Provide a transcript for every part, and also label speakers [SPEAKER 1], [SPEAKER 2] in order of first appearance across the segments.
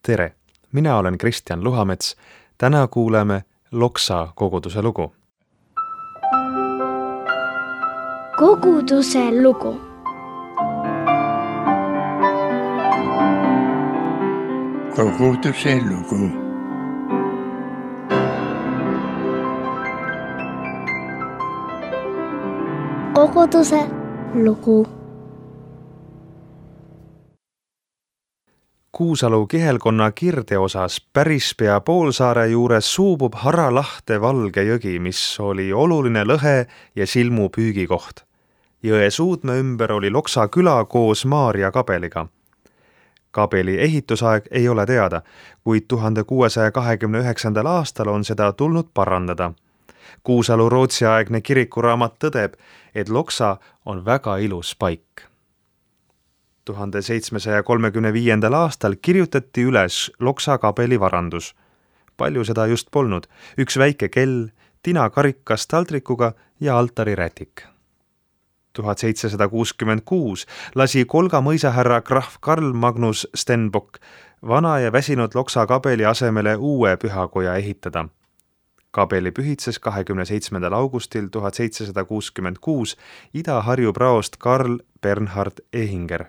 [SPEAKER 1] Tere! Mina olen Kristjan Luhamets. Täna kuuleme Loksa koguduse lugu.
[SPEAKER 2] Koguduse lugu.
[SPEAKER 3] Koguduse lugu.
[SPEAKER 2] Koguduse lugu.
[SPEAKER 1] Kuusalu kihelkonna kirdeosas päris pea poolsaare juures suubub Haralahte valge jõgi, mis oli oluline lõhe ja silmu püügikoht. Jõe suudme ümber oli Loksa küla koos Maarja kabeliga. Kabeli ehitusaeg ei ole teada, kuid 1629. aastal on seda tulnud parandada. Kuusalu rootsiaegne kirikuraamat tõdeb, et Loksa on väga ilus paik. 1735. aastal kirjutati üles Loksa kabeli varandus. Palju seda just polnud. Üks väike kell, tinakarikas taldrikuga ja altarirätik. 1766 lasi Kolga mõisahärra krahv Karl Magnus Stenbock vana ja väsinud Loksa kabeli asemele uue pühakoja ehitada. Kabeli pühitses 27. augustil 1766 Ida-Harju praost Karl Bernhard Ehinger.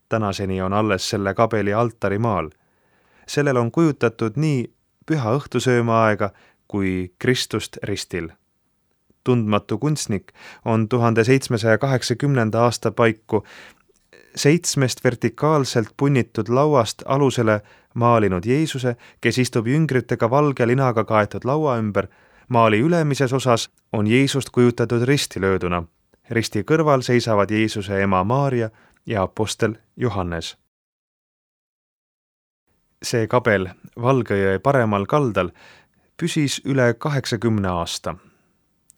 [SPEAKER 1] Tänaseni on alles selle kabeli altarimaal. Sellel on kujutatud nii püha õhtusöömaaega kui Kristust ristil. Tundmatu kunstnik on 1780. aasta paiku 7 vertikaalselt punnitud lauast alusele maalinud Jeesuse, kes istub jüngritega valge linaga kaetud laua ümber. Maali ülemises osas on Jeesust kujutatud risti lööduna. Risti kõrval seisavad Jeesuse ema Maarja ja apostel Johannes. See kabel Valgejõe paremal kaldal püsis üle 80 aasta.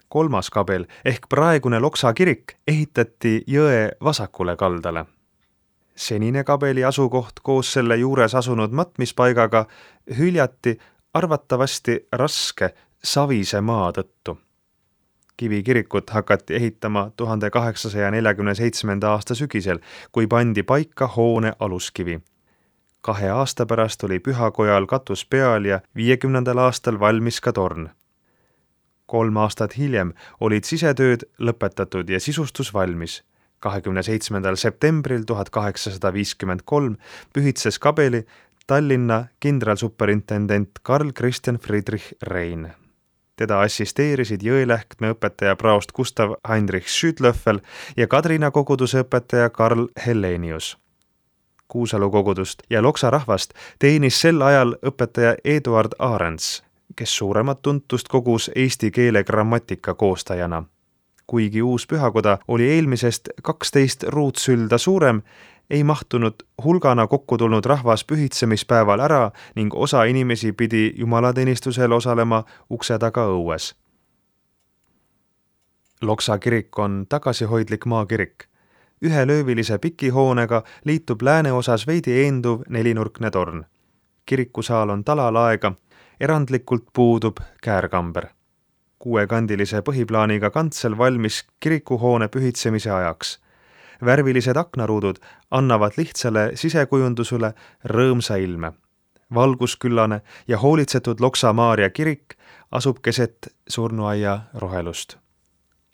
[SPEAKER 1] 3. kabel ehk praegune Loksa kirik ehitati jõe vasakule kaldale. Senine kabeli asukoht koos selle juures asunud matmispaigaga hüljati arvatavasti raske savise maa tõttu. Kivikirikut hakati ehitama 1847. aasta sügisel, kui pandi paika hoone aluskivi. 2 aasta pärast oli pühakojal katus peal ja 50. aastal valmis ka torn. 3 aastat hiljem olid sisetööd lõpetatud ja sisustus valmis. 27. septembril 1853 pühitses kabeli Tallinna kindralsuperintendent Karl Christian Friedrich Rein. Teda assisteerisid Jõelähtme õpetaja praost Gustav Heinrich Schütlöffel ja Kadrina koguduse õpetaja Karl Hellenius. Kuusalu kogudust ja Loksa rahvast teenis sel ajal õpetaja Eduard Ahrens, kes suuremat tuntust kogus eesti keele grammatika koostajana. Kuigi uus pühakoda oli eelmisest 12 ruutsülda suurem, ei mahtunud hulgana kokku tulnud rahvas pühitsemispäeval ära ning osa inimesi pidi jumalateenistusel osalema ukse taga õues. Loksa kirik on tagasihoidlik maakirik. Ühelöövilise pikihoonega liitub lääneosas veidi eenduv 4-nurkne torn. Kirikusaal on talalaega, erandlikult puudub käärkamber. 6-kandilise põhiplaaniga kantsel valmis kirikuhoone pühitsemise ajaks. Värvilised aknaruudud annavad lihtsale sisekujundusele rõõmsa ilme. Valgusküllane ja hoolitsetud Loksa Maarja kirik asub keset surnuaia rohelust.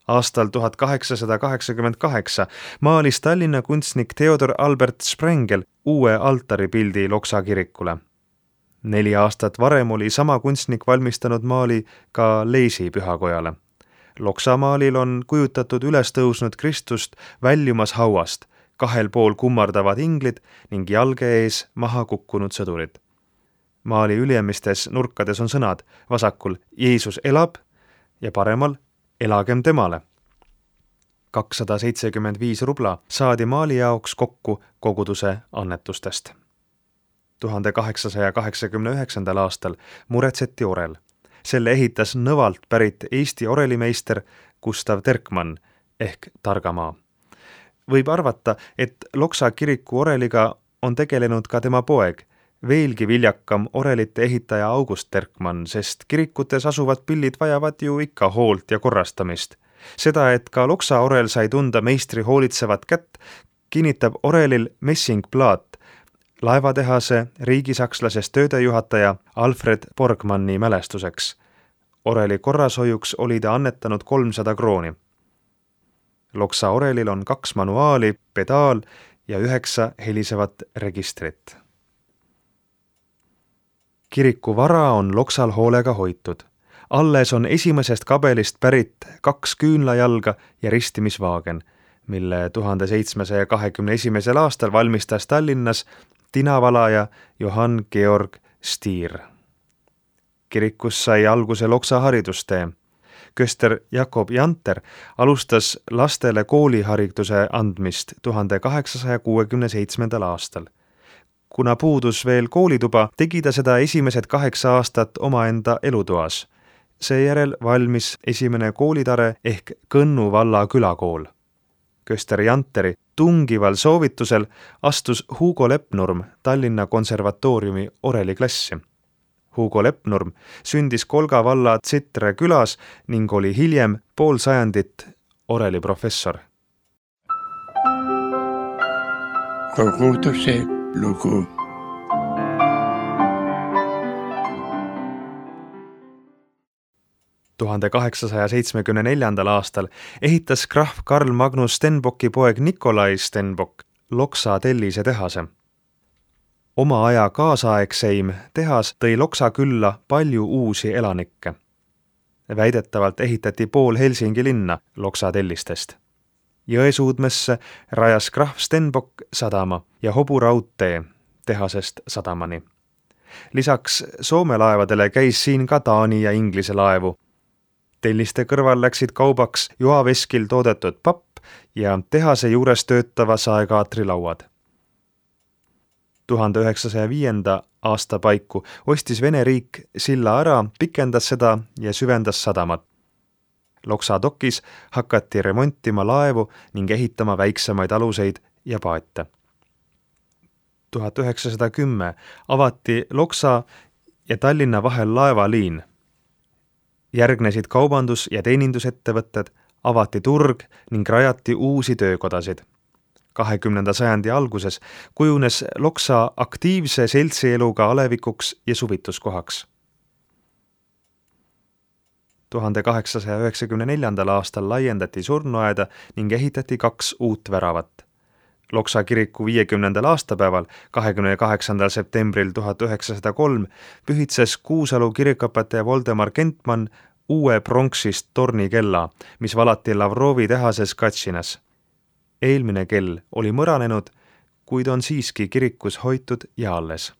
[SPEAKER 1] Aastal 1888 maalis Tallinna kunstnik Theodor Albert Sprengel uue altaripildi Loksa kirikule. 4 aastat varem oli sama kunstnik valmistanud maali ka Leisi pühakojale. Loksa maalil on kujutatud üles tõusnud Kristust väljumas hauast, 2 pool kummardavad inglid ning jalge ees maha kukkunud sõdurid. Maali ülemistes nurkades on sõnad, vasakul Jeesus elab ja paremal elagem temale. 275 rubla saadi maali jaoks kokku koguduse annetustest. 1889. aastal muretseti orel. Selle ehitas Nõvalt pärit Eesti orelimeister Gustav Terkmann ehk Targamaa. Võib arvata, et Loksa kiriku oreliga on tegelenud ka tema poeg, veelgi viljakam orelite ehitaja August Terkmann, sest kirikutes asuvad pillid vajavad ju ikka hoolt ja korrastamist. Seda, et ka Loksa orel sai tunda meistri hoolitsevat kätt, kinnitab orelil messingplaat laevatehase riigisakslasest töödejuhataja Alfred Borgmanni mälestuseks. Oreli korrashoiuks oli ta annetanud 300 krooni. Loksa orelil on 2 manuaali, pedaal ja 9 helisevat registrit. Kiriku vara on Loksal hoolega hoitud. Alles on esimesest kabelist pärit 2 küünlajalga ja ristimisvaagen, mille 1721. aastal valmistas Tallinnas tinavalaja Johann Georg Stier. Kirikus sai alguse Loksa haridustee. Köster Jakob Janter alustas lastele koolihariduse andmist 1867. aastal. Kuna puudus veel koolituba, tegi ta seda esimesed 8 aastat omaenda elutoas. Seejärel valmis esimene koolitare ehk Kõnnu valla külakool. Köster Janteri tungival soovitusel astus Hugo Lepnurm Tallinna konservatooriumi oreliklassi. Hugo Lepnurm sündis Kolga valla Tsitre külas ning oli hiljem pool sajandit oreliprofessor.
[SPEAKER 3] Koguduse lugu.
[SPEAKER 1] – 1874. aastal ehitas krahv Karl Magnus Stenbocki poeg Nikolai Stenbock Loksa tellise tehase. Oma aja kaasaegseim tehas tõi Loksa külla palju uusi elanikke. Väidetavalt ehitati pool Helsingi linna Loksa tellistest. Jõesuudmesse rajas krahv Stenbock sadama ja hoburaudtee tehasest sadamani. Lisaks Soome laevadele käis siin ka Taani ja Inglise laevu. Telliste kõrval läksid kaubaks joaveskil toodetud papp ja tehase juures töötava saekaatri lauad. 1905. aasta paiku ostis Vene riik silla ära, pikendas seda ja süvendas sadamat. Loksa dokis hakati remontima laevu ning ehitama väiksemaid aluseid ja paate. 1910 avati Loksa ja Tallinna vahel laevaliin. Järgnesid kaubandus- ja teenindusettevõtted, avati turg ning rajati uusi töökodasid. 20. sajandi alguses kujunes Loksa aktiivse seltsieluga alevikuks ja suvituskohaks. 1894. aastal laiendati surnuaeda ning ehitati 2 uut väravat. Loksa kiriku 50. aastapäeval, 28. septembril 1903, pühitses Kuusalu kirikuõpetaja Voldemar Kentman uue pronksist tornikella, mis valati Lavrovi tehases Katšinas. Eelmine kell oli mõranenud, kuid on siiski kirikus hoitud ja alles.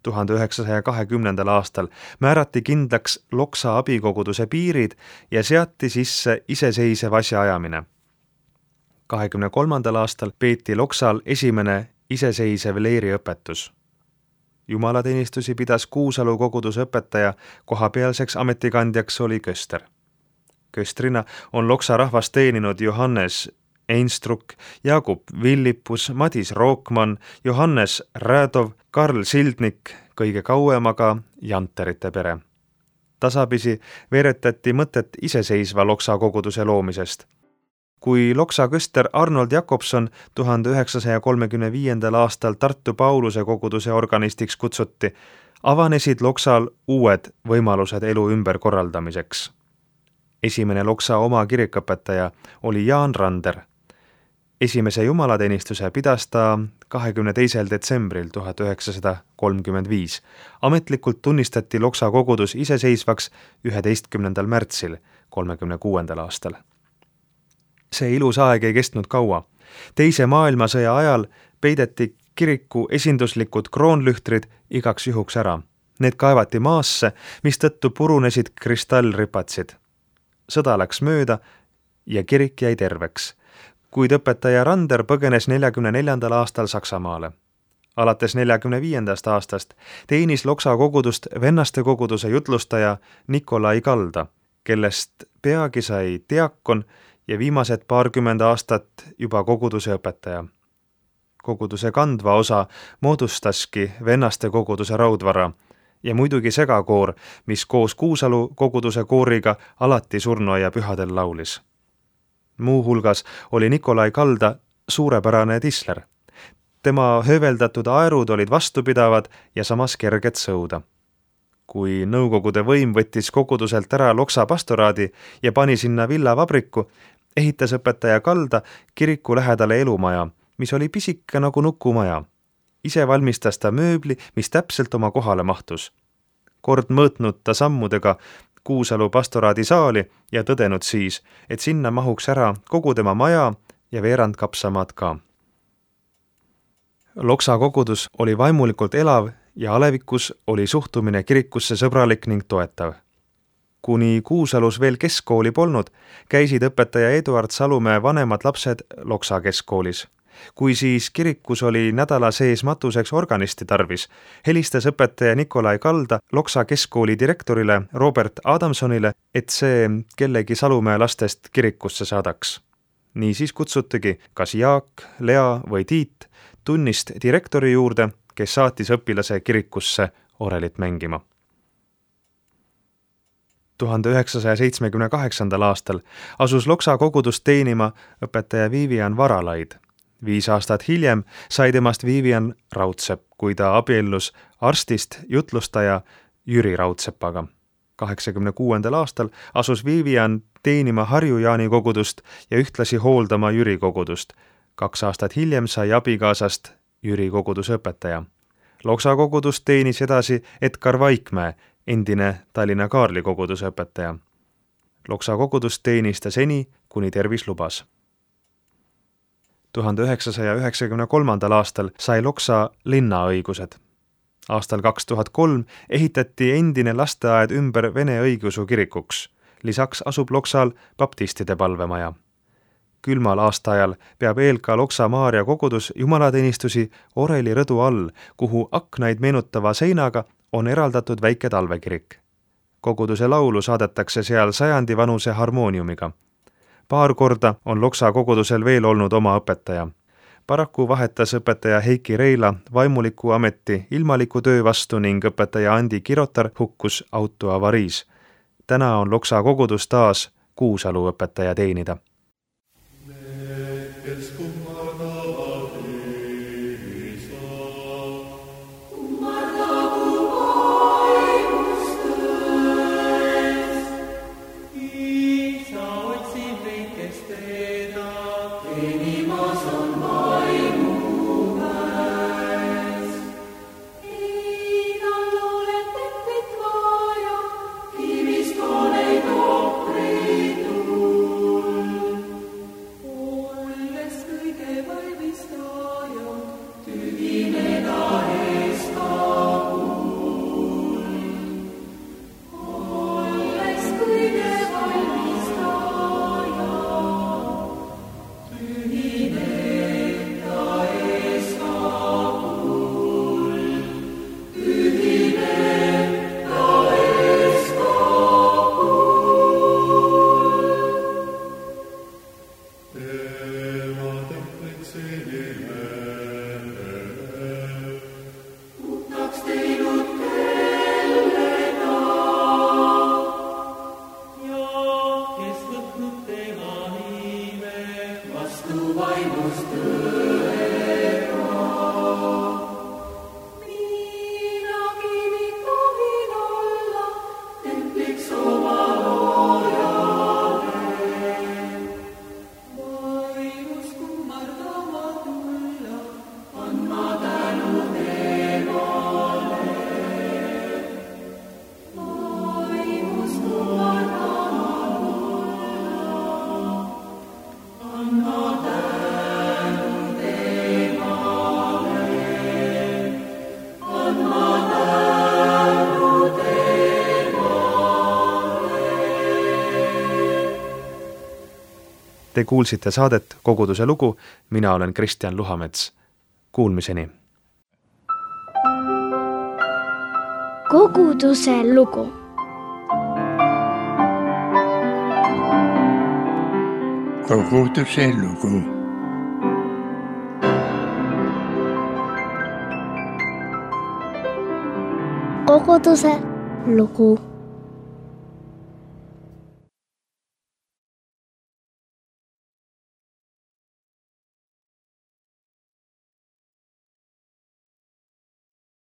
[SPEAKER 1] 1920. aastal määrati kindlaks Loksa abikoguduse piirid ja seati sisse iseseisev asjaajamine. 23. aastal peeti Loksal esimene iseseisev leeriõpetus. Jumalateenistusi pidas Kuusalu koguduse õpetaja, kohapealseks ametikandjaks oli köster. Köstrina on Loksa rahvast teeninud Johannes Einstruck, Jakub Villipus, Madis Rookman, Johannes Räädov, Karl Sildnik, kõige kauem aga Janterite pere. Tasapisi veeretati mõtet iseseisva Loksa koguduse loomisest. Kui Loksa köster Arnold Jakobson 1935. aastal Tartu Pauluse koguduse organistiks kutsuti, avanesid Loksal uued võimalused elu ümberkorraldamiseks. Esimene Loksa oma kirikuõpetaja oli Jaan Rander. Esimese jumalateenistuse pidas ta 22. detsembril 1935. Ametlikult tunnistati Loksa kogudus iseseisvaks 11. märtsil 1936. aastal. See ilus aeg ei kestnud kaua. Teise maailmasõja ajal peideti kiriku esinduslikud kroonlühtrid igaks juhuks ära. Need kaevati maasse, mistõttu purunesid kristallripatsid. Sõda läks mööda ja kirik jäi terveks, kuid õpetaja Rander põgenes 1944. aastal Saksamaale. Alates 1945. aastast teenis Loksa kogudust vennaste koguduse jutlustaja Nikolai Kalda, kellest peagi sai diakon ja viimased 20 aastat juba koguduse õpetaja. Koguduse kandva osa moodustaski vennaste koguduse raudvara ja muidugi segakoor, mis koos Kuusalu koguduse kooriga alati surnuaia pühadel laulis. Muu hulgas oli Nikolai Kalda suurepärane tisler. Tema hööveldatud aerud olid vastupidavad ja samas kerged sõuda. Kui Nõukogude võim võttis koguduselt ära Loksa pastoraadi ja pani sinna villavabriku, ehitas õpetaja Kalda kiriku lähedale elumaja, mis oli pisike nagu nukumaja. Ise valmistas ta mööbli, mis täpselt oma kohale mahtus. Kord mõõtnud ta sammudega Kuusalu pastoraadi saali ja tõdenud siis, et sinna mahuks ära kogu tema maja ja veerand kapsamaad ka. Loksa kogudus oli vaimulikult elav ja alevikus oli suhtumine kirikusse sõbralik ning toetav. Kuni Kuusalus veel keskkooli polnud, käisid õpetaja Eduard Salumäe vanemad lapsed Loksa keskkoolis. Kui siis kirikus oli nädala sees matuseks organisti tarvis, helistas õpetaja Nikolai Kalda Loksa keskkooli direktorile Robert Adamsonile, et see kellegi Salumäe lastest kirikusse saadaks. Nii siis kutsutigi kas Jaak, Lea või Tiit tunnist direktori juurde, kes saatis õpilase kirikusse orelit mängima. 1978. aastal asus Loksa kogudust teenima õpetaja Vivian Varalaid. 5 aastat hiljem sai temast Vivian Raudsepp, kui ta abiellus arstist jutlustaja Jüri Raudsepaga. 86. aastal asus Vivian teenima Harju-Jaani kogudust ja ühtlasi hooldama Jüri kogudust. 2 aastat hiljem sai abikaasast Jüri koguduse õpetaja. Loksa kogudust teenis edasi Edgar Vaikmäe, endine Tallinna Kaarli koguduse õpetaja. Loksa kogudust teenis ta seni, kuni tervis lubas. 1993. aastal sai Loksa linnaõigused. Aastal 2003 ehitati endine lasteaed ümber Vene õigeusu kirikuks. Lisaks asub Loksal baptistide palvemaja. Külmal aastaajal peab ELK Loksa Maarja kogudus jumalateenistusi oreli rõdu all, kuhu aknaid meenutava seinaga on eraldatud väike talvekirik. Koguduse laulu saadetakse seal 100 vanuse harmooniumiga. Paar korda on Loksa kogudusel veel olnud oma õpetaja. Paraku vahetas õpetaja Heiki Reila vaimuliku ameti ilmaliku töö vastu ning õpetaja Andi Kirotar hukkus autoavariis. Täna on Loksa kogudus taas Kuusalu õpetaja teenida. Te kuulsite saadet Koguduse lugu, mina olen Kristjan Luhamets. Kuulmiseni!
[SPEAKER 2] Koguduse lugu.
[SPEAKER 3] Koguduse lugu.
[SPEAKER 2] Koguduse lugu.